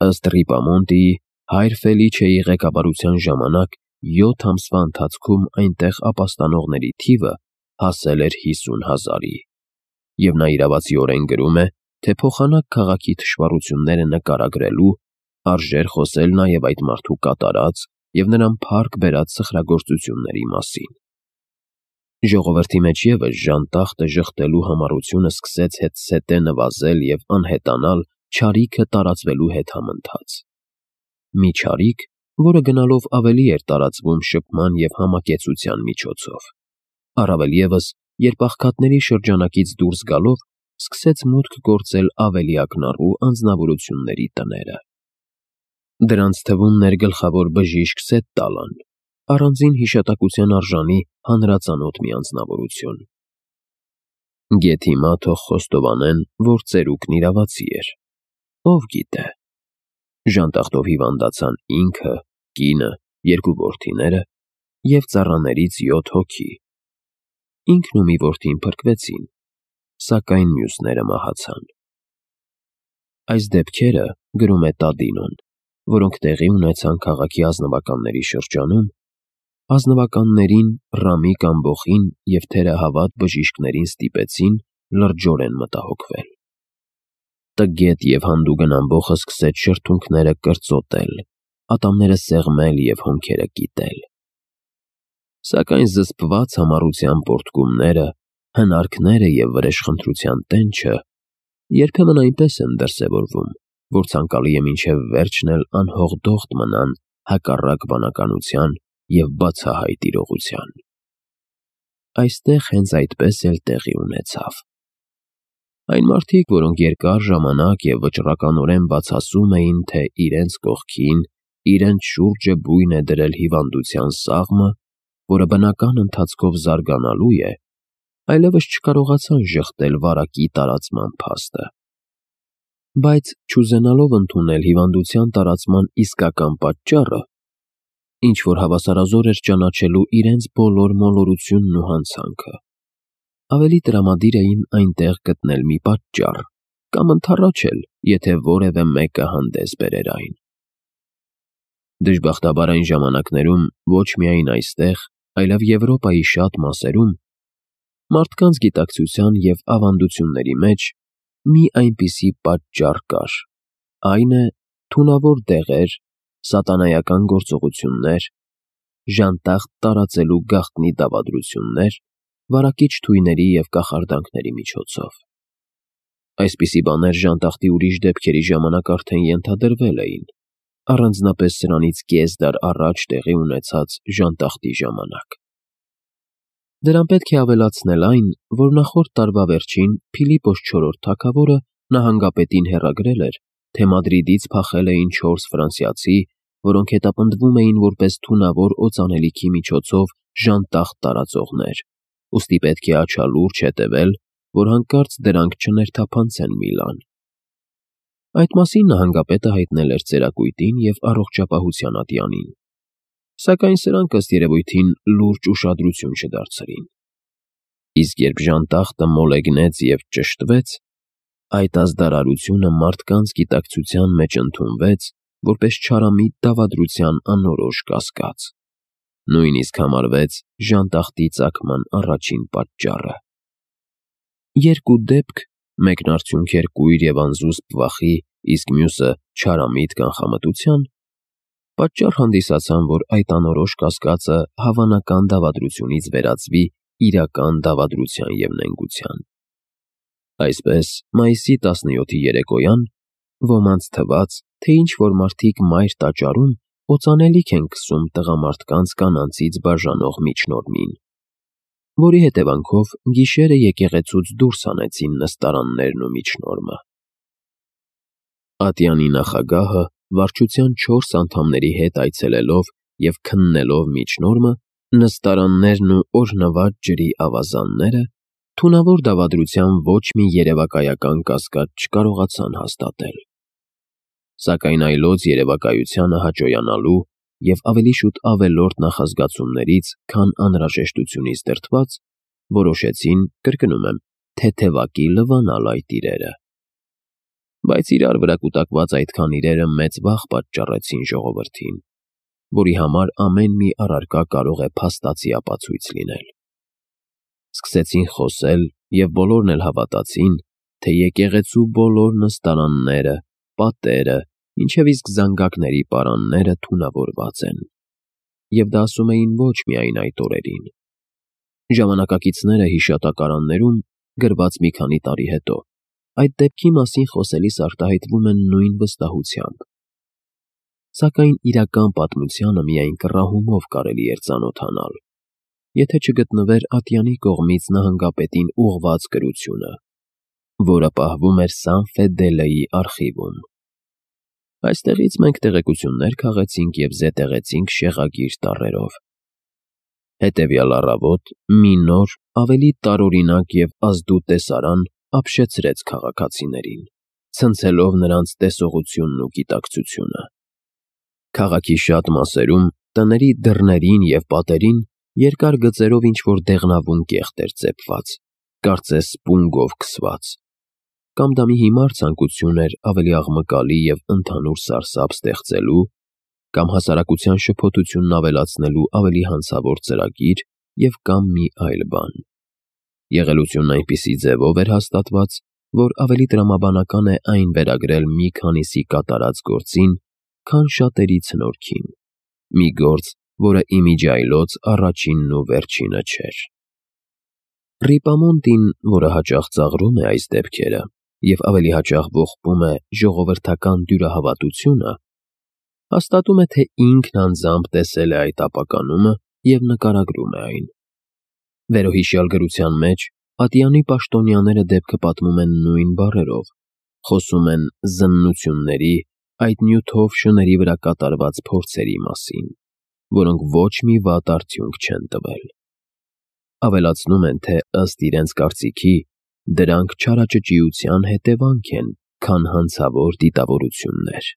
Ըստ Ռիպամոնտիի, հայր Ֆելիչեի ղեկավարության ժամանակ 7 ամսվա ընթացքում այնտեղ ապաստանողների թիվը հասել էր 50,000-ի, և նա իրավացիորեն գրում է, թե փոխանակ քաղաքի թշվառությունները նկարագրելու արժեր խոսել նաև այդ մարդու կատարած և նրան փառք բերած սխրագործությունների մասին։ Ժողովրդի մեջ ևս ժանտախտը ժխտելու համառությունը սկսեց հետզհետե նվազել և անհետանալ չարիքը տարածվելու հետ համընթաց։ Մի չարիք, որը գնալով ավելի էր տարածվում շփման և համակեցության միջոցով, առավել ևս, երբ աղքատների շրջանակից դուրս գալով սկսեց մուտք գործել ավելի ակնառու անձնավորությունների տները։ Դրանց թվում ներգլխավոր բժիշկ Սեթ Տալան, առանձին հիշատակության արժանի հանրածանոթ մի անձնավորություն։ Գեթ հիմա թող խոստովանեն, որ ծերուկն իրավացի էր։ Ով գիտե։ Ժանտախտով հիվանդացան ինքը, կինը, 2 որդիները և ծառաներից 7 հոգի։ Ինքն ու մի որդին փրկվեցին, սակայն մյուսները մահացան։ Այս դեպքերը, գրում է Տադինոն, որոնք տեղի ունեցան քաղաքի ազնվականների շրջանում, ազնվականներին, Ռամիկ ամբոխին և թերահավատ բժիշկներին ստիպեցին լրջորեն մտահոգվել։ Տգետ և հանդուգն ամբոխը սկսեց շրթունքները կրծոտել, ատամները սեղմել և հոնքերը կիտել։ Սակայն զսպված համառության պոռթկումները, հնարքները և վրեժխնդրության տենչը երբեմն այնպես են դրսևորվում, որ ցանկալի է մինչև վերջն էլ անհողդողդ մնան հակառակ բանականության և բացահայտ իրողության։ Այստեղ հենց այդպես էլ տեղի ունեցավ։ Այն մարդիկ, որոնք երկար ժամանակ և վճռականորեն բացասում էին, թե իրենց կողքին, իրենց շուրջը բույն է դրել հիվանդության սաղմը, որը բնական ընթացքով զարգանալու է, այլևս չկարողացան ժխտել վարակի տարածման փաստը։ Բայց չուզենալով ընդունել հիվանդության տարածման իսկական պատճառը, ինչ-որ հավասարազոր էր ճանաչելու իրենց բոլոր մոլորությունն ու հանցանքը, ավելի տրամադիր էին այնտեղ գտնել մի պատճառ կամ ընդառաջել, եթե որևէ մեկը հանդես բերեր այն։ Դժբախտաբար այն ժամանակներում ոչ միայն այստեղ, այլև Եվրոպայի շատ մասերում մարդկանց գիտակցության և ավանդությունների մեջ մի այնպիսի պատճառ կար, այն է թունավոր դեղեր, սատանայական գործողություններ, ժանտախտ տարածելու գաղտնի դավադրություններ, վարակիչ թույների և կախարդանքների միջոցով։ Այսպիսի բաներ ժանտախտի ուրիշ դեպքերի ժամանակ արդեն ենթադրվել էին, առանձնապես սրանից կես դար առաջ տեղի ունեցած ժանտախտի ժամանակ։ Դրան պետք է ավելացնել այն, որ նախորդ տարվա վերջին Փիլիպոս IV թագավորը նահանգապետին հեռագրել էր, թե Մադրիդից փախել էին 4 ֆրանսիացի, որոնք հետապնդվում էին որպես թունավոր օծանելիքի միջոցով ժանտախտ տարածողներ, ուստի պետք է աչալուրջ հետևել, որ հանկարծ դրանք չներթափանցեն Միլան։ Այդ մասին նահանգապետը հայտնել էր ծերակույտին և առողջապահության ատյանին, սակայն սրանք ըստ երևույթին լուրջ ուշադրություն չդարձրին։ Իսկ երբ ժանտախտը մոլեգնեց և ճշտվեց, այդ ազդարարությունը մարդկանց գիտակցության մեջ ընդունվեց որպես չարամիտ դավադրության անորոշ կասկած, նույնիսկ համարվեց ժանտախտի ծագման առաջին պատճառը։ Երկու դեպք, մեկն արդյունք էր կույր և անզուսպ վախի, իսկ մյուսը չարամիտ կանխամտության, պատճառ հանդիսացան, որ այդ անորոշ կասկածը հավանական դավադրությունից վերածվի իրական դավադրության և նենգության։ Այսպես, մայիսի 17-ի երեկոյան ոմանց թվաց, թե ինչ-որ մարդիկ մայր տաճարում օծանելիք են քսում տղամարդկանց կանանցից բաժանող միջնորմին, որի հետևանքով գիշերը եկեղեցուց դուրս հանեցին նստարաններն ու միջնորմը։ Ատյանի նախագահը վարչության 4 անդամների հետ այցելելով և քննելով միջնորմը, նստարաններն ու օրհնված ջրի ավազանները, թունավոր դավադրության ոչ մի երևակայական կասկած չկարողացան հաստատել։ Սակայն այլոց երևակայությանը հաճոյանալու և ավելի շուտ ավելորդ նախազգացումներից, քան անհրաժեշտությունից դրդված, որոշեցին, կրկնում եմ, թեթևակի լվանալ այդ իրերը։ Բայց իրար վրա կուտակված այդքան իրերը մեծ վախ պատճառեցին ժողովրդին, որի համար ամեն մի առարկա կարող է փաստացի ապացույց լինել։ Սկսեցին խոսել և բոլորն էլ հավատացին, թե եկեղեցու բոլոր նստարանները, պատերը, մինչև իսկ զանգակների պարանները թունավորված են։ Եվ դա ասում էին ոչ միայն այդ օրերին։ Ժամանակակիցները հիշատակարաններում, գրված մի քանի տարի հետո, այդ դեպքի մասին խոսելիս արտահայտվում են նույն վստահությամբ։ Սակայն իրական պատմությանը միայն կռահումով կարելի էր ծանոթանալ, եթե չգտնվեր ատյանի կողմից նահանգապետին ուղղված գրությունը, որը պահվում էր Սան Ֆեդելեի արխիվում։ Այստեղից մենք տեղեկություններ քաղեցինք և զետեղեցինք շեղագիր տառերով։ Հետևյալ առավոտ մի նոր, ավելի տարօրինակ և ազդու տեսարան ապշեցրեց քաղաքացիներին, ցնցելով նրանց տեսողությունն ու գիտակցությունը։ Քաղաքի շատ մասերում, տների դռներին և պատերին երկար գծերով ինչ-որ դեղնավուն կեղտ էր ծեփված, կարծես սպունգով քսված, կամ դա մի հիմար ցանկություն էր ավելի աղմկալի և ընդհանուր սարսափ ստեղծելու, կամ հասարակության շփոթությունն ավելացնելու ավելի հանցավոր ծրագիր և կամ մի այլ բան։ Եղելությունն այնպիսի ձևով էր հաստատված, որ ավելի տրամաբանական է այն վերագրել մի քանիսի կատարած գործին, քան շատերի ցնորքին, մի գործ, որը իմիջիայլոց առաջինն ու վերջինը չէր։ Ռիպամոնտին, որը հաճախ ծաղրում է այս դեպքերը և ավելի հաճախ ողբում է ժողովրդական դյուրահավատությունը, հաստատում է, թե ինքն անձամբ տեսել է այդ ապականումը և նկարագրում է այն։ Վերոհիշյալ գրության մեջ ատյանի պաշտոնյաները դեպքը պատմում են նույն բառերով, խոսում են զննությունների, այդ նյութով շների վրա կատարված փորձերի մասին, որոնք ոչ մի վատ արդյունք չեն տվել։ Ավելացնում են, թե ըստ իրենց կարծիքի, դրանք չարաճճիության հետևանք են, քան հանցավոր դիտավորություններ։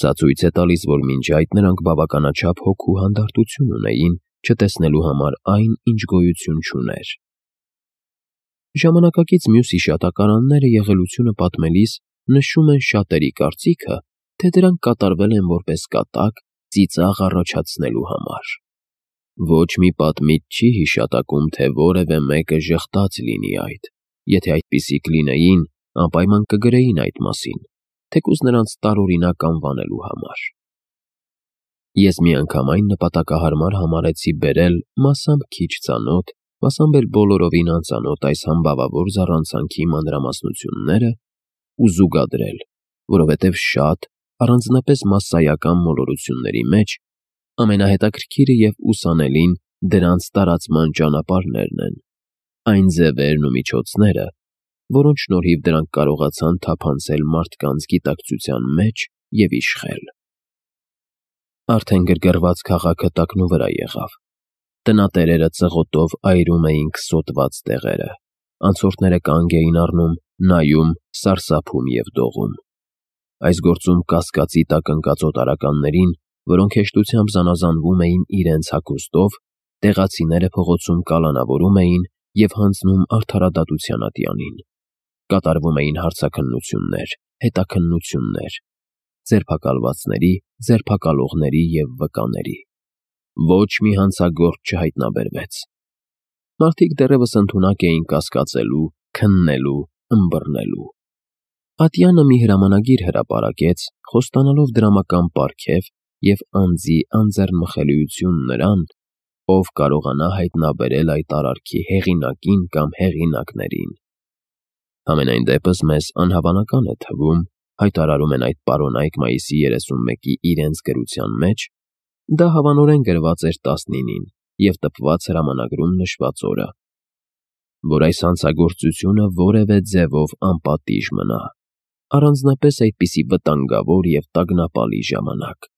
Սա ցույց է տալիս, որ մինչ այդ նրանք բավականաչափ հոգու հանդարտություն ունեին չտեսնելու համար այն, ինչ գոյություն չուներ։ Ժամանակակից մյուս հիշատակարանները եղելությունը պատմելիս նշում են շատերի կարծիքը, թե դրանք կատարվել են որպես կատակ ծիծաղ առաջացնելու համար։ Ոչ մի պատմիչ չի հիշատակում, թե որևէ մեկը ժխտաց լինի այդ, եթե այդպիսիք լինեին, անպայման կգրեին այդ մասին, թեկուզ նրանց տարօրինակ անվանելու համար։ Ես մի անգամ այն նպատակահարմար համարեցի բերել մասամբ քիչ ծանոթ, մասամբ էլ բոլորովին անծանոթ այս համբավավոր զառանցանքի մանրամասնությունները ու զուգադրել, որովհետև շատ, առանձնապես մասսայական մոլորությունների մեջ, ամենահետաքրքիրը և ուսանելին դրանց տարածման ճանապարհներն են, այն ձևերն ու միջոցները, որոնց շնորհիվ դրանք կարողացան թափանցել մարդկանց գիտակցության մեջ և իշխել։ Արդեն գրգռված քաղաքը տակնուվրա եղավ։ Տնատերերը ծղոտով այրում էին քսոտված տեղերը, անցորդները կանգ էին առնում, նայում, սարսափում և դողում։ Այս գործում կասկածի տակ ընկած օտարականներին, որոնք հեշտությամբ զանազանվում էին իրենց հագուստով, տեղացիները փողոցում կալանավորում էին և հանձնում արդարադատության ատյանին։ Կատարվում էին հարցաքննություններ, հետաքննություններ, ձերբակալվածների, ձերբակալողների և վկաների։ Ոչ մի հանցագործ չհայտնաբերվեց։ Մարդիկ դեռևս ընդունակ էին կասկածելու, քննելու, ըմբռնելու։ Ատյանը մի հրամանագիր հրապարակեց, խոստանալով դրամական պարգև և անձի անձեռնմխելիություն նրան, ով կարողանա հայտնաբերել այդ արարքի հեղինակին կամ հեղինակներին։ Համենայն դեպս մեզ անհավանական է թվում, հայտարարում են այդ պարոնայք մայիսի 31-ի իրենց գրության մեջ, դա հավանորեն գրված էր 19-ին և տպված հրամանագրում նշված օրը, որ այս հանցագործությունը որևէ ձևով անպատիժ մնա, առանձնապես այդպիսի վտանգավոր և տագնապալի ժամանակ։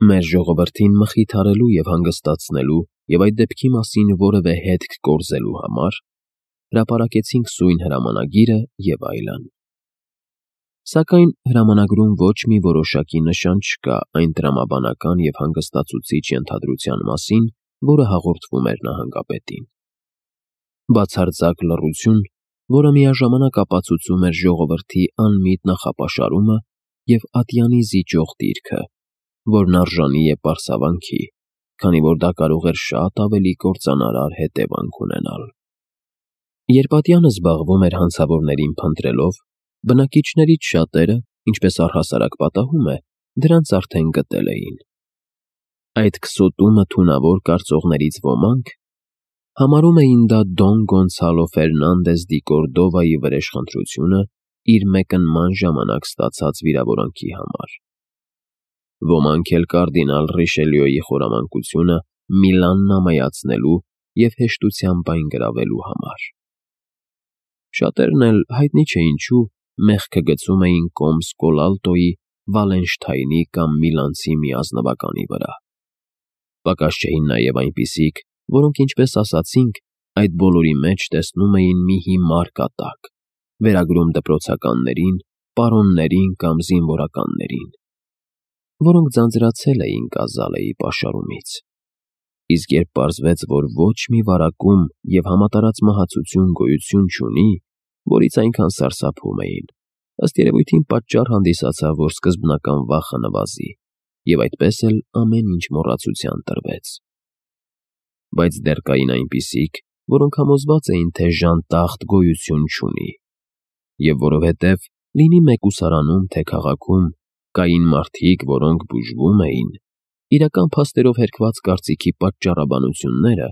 Մեր ժողովրդին մխիթարելու և հանգստացնելու և այդ դեպքի մասին որևէ հետք կորզելու համար հրապարակեցինք սույն հրամանագիրը և այլն։ Սակայն հրամանագրում ոչ մի որոշակի նշան չկա այն տրամաբանական և հանգստացուցիչ ենթադրության մասին, որը հաղորդվում էր նահանգապետին։ Բացարձակ լռություն որը միաժամանակ ապացուցում էր ժողովրդի անմիտ նախապաշարումը և ատյանի զիջող դիրքը, որն արժանի է պարսավանքի, քանի որ դա կարող էր շատ ավելի կործանարար հետևանք ունենալ։ Երբ ատյանը զբաղվում էր հանցավորներին փնտրելով, բնակիչներից շատերը, ինչպես առհասարակ պատահում է, դրանց արդեն գտել էին։ Այդ քսոտումը թունավոր կարծողներից ոմանք համարում էին դա Դոն Գոնցալո Ֆերնանդես դի Կորդովայի վրեժխնդրությունը իր մեկնման ժամանակ ստացած վիրավորանքի համար։ Ոմանք էլ կարդինալ Ռիշելյուեի խորամանկությունը Միլանն ամայացնելու և հեշտությամբ այն գրավելու համար։ Շատերն էլ հայտնի չէ ինչու մեղքը գցում էին կոմս Կոլալտոյի, Վալենշթայնի կամ Միլանցի մի ազնվականի վրա։ Պակաս չէին նաև այնպիսիք, որոնք, ինչպես ասացինք, այդ բոլորի մեջ տեսնում էին մի հիմար կատակ, վերագրում դպրոցականներին, պարոններին կամ զինվորականներին, որոնք ձանձրացել էին Կազալեի պաշարումից։ Իսկ երբ պարզվեց, որ ոչ մի վարակում և համատարած մահացություն գոյություն չունի, որից այնքան սարսափում էին, ըստ երևույթին պատճառ հանդիսացավ, որ սկզբնական վախը նվազի, և այդպես էլ ամեն ինչ մոռացության տրվեց։ Բայց դեռ կային այնպիսիք, որոնք համոզված էին, թե ժանտախտ գոյություն չունի, և որովհետև լինի մեկուսարանում, թե քաղաքում, կային մարդիկ, որոնք բուժվում էին, իրական փաստերով հերքված կարծիքի պատճառաբանությունները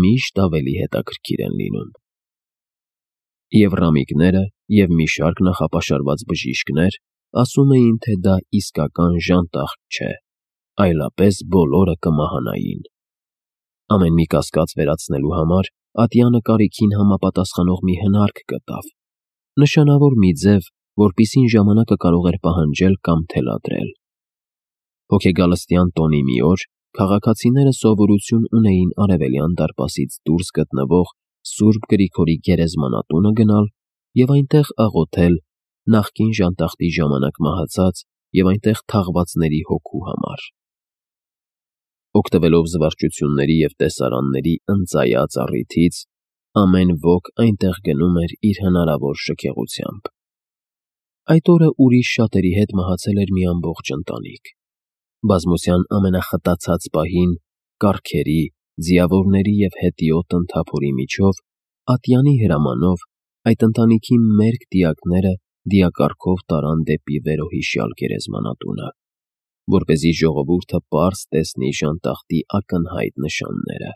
միշտ ավելի հետաքրքիր են լինում։ Եվ Ռամիկները, և մի շարք նախապաշարված բժիշկներ ասում էին, թե դա իսկական ժանտախտ չէ, այլապես բոլորը կմահանային։ Ամեն մի կասկած վերացնելու համար ատյանը կարիքին համապատասխանող մի հնարք գտավ, նշանավոր մի ձև, որպիսին ժամանակը կարող էր պահանջել կամ թելադրել։ Հոգեգալստյան տոնի մի օր քաղաքացիները սովորություն ունեին Արևելյան դարպասից դուրս գտնվող Սուրբ Գրիգորի գերեզմանատունը գնալ և այնտեղ աղոթել նախկին ժանտախտի ժամանակ մահացած և այնտեղ թաղվածների հոգու համար։ Օգտվելով զվարճությունների և տեսարանների ընծայած առիթից, ամեն ոք այնտեղ գնում էր իր հնարավոր շքեղությամբ։ Այդ օրը ուրիշ շատերի հետ մահացել էր մի ամբողջ ընտանիք։ Բազմության ամենախտացած պահին, կառքերի, ձիավորների և հետիոտ ընդհափորի միջով, ատյանի հրամանով, այդ ընտանիքի մերկ դիակները դիակառքով տարան դեպի վերոհիշյալ գերեզմանատունը, որպեսզի ժողովուրդը պարզ տեսնի ժանտախտի ակնհայտ նշանները։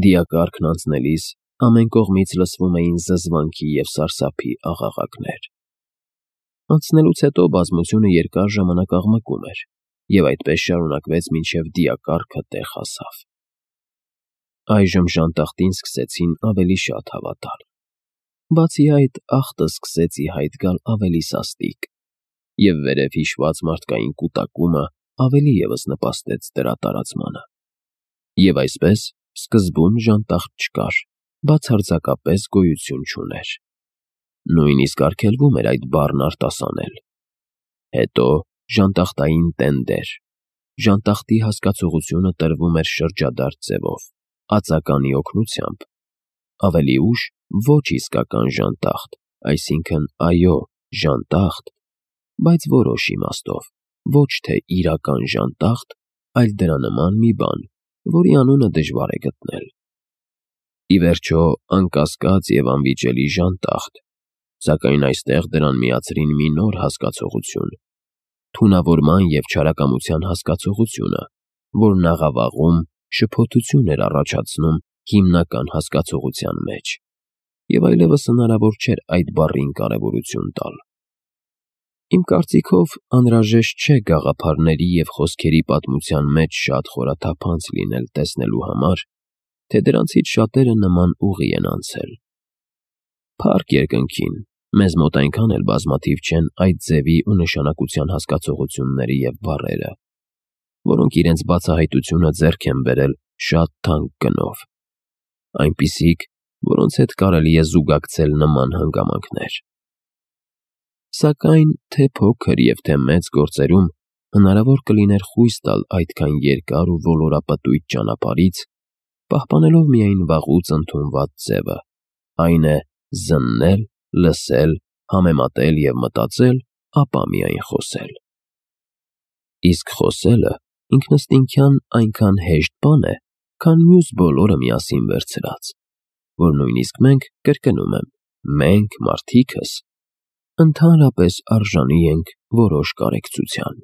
Դիակառքն անցնելիս ամեն կողմից լսվում էին զզվանքի և սարսափի աղաղակներ։ Անցնելուց հետո բազմությունը երկար ժամանակ աղմկում էր, և այդպես շարունակվեց մինչև դիակառքը տեղ հասավ։ Այժմ ժանտախտին սկսեցին ավելի շատ հավատալ։ Բացի այդ, աղտը սկսեց ի հայտ գալ ավելի սաստիկ, և վերև հիշված մարդկային կուտակումը ավելի ևս նպաստեց դրա տարածմանը։ Եվ այսպես, սկզբում ժանտախտ չկար, բացարձակապես գոյություն չուներ։ Նույնիսկ արգելվում էր այդ բառն արտասանել։ Հետո ժանտախտային տենդեր, ժանտախտի հասկացողությունը տրվում էր շրջադարձ ձևով, ածականի օգնությամբ, ավելի ուշ ոչ իսկական ժանտախտ, այսինքն՝ այո, ժանտախտ, բայց որոշ իմաստով, ոչ թե իրական ժանտախտ, այլ դրա նման մի բան, որի անունը դժվար է գտնել։ Ի վերջո, անկասկած և անվիճելի ժանտախտ, սակայն այստեղ դրան միացրին մի նոր հասկացողություն՝ թունավորման և չարակամության հասկացողությունը, որն աղավաղում շփոթություն էր առաջացնում հիմնական հասկացողության մեջ, և այլևս հնարավոր չէր այդ բառին կարևորություն տալ։ Իմ կարծիքով, անհրաժեշտ չէ գաղափարների և խոսքերի պատմության մեջ շատ խորաթափանց լինել տեսնելու համար, թե դրանցից շատերը նման ուղի են անցել։ Փառք երկնքին, մեզ մոտ այնքան էլ բազմաթիվ չեն այդ ձևի ու նշանակության հասկացողությունները և բառերը, որոնք իրենց բացահայտությունը ձեռք են բերել շատ թանկ գնով, այնպիսիք, որոնց հետ կարելի է զուգակցել նման հանգամանքներ։ Սակայն թե փոքր և թե մեծ գործերում հնարավոր կլիներ խույս տալ այդքան երկար ու ոլորապտույտ ճանապարհից, պահպանելով միայն վաղուց ընդունված ձևը, այն է զննել, լսել, համեմատել և մտածել, ապա միայն խոսել։ Իսկ խոսելը ինքնըստինքյան այնքան հեշտ բան է, քան մյուս բոլորը միասին վերցրած, որ նույնիսկ մենք, կրկնում եմ, մենք մարդիկս, ընդհանրապես արժանի ենք որոշ կարեկցության։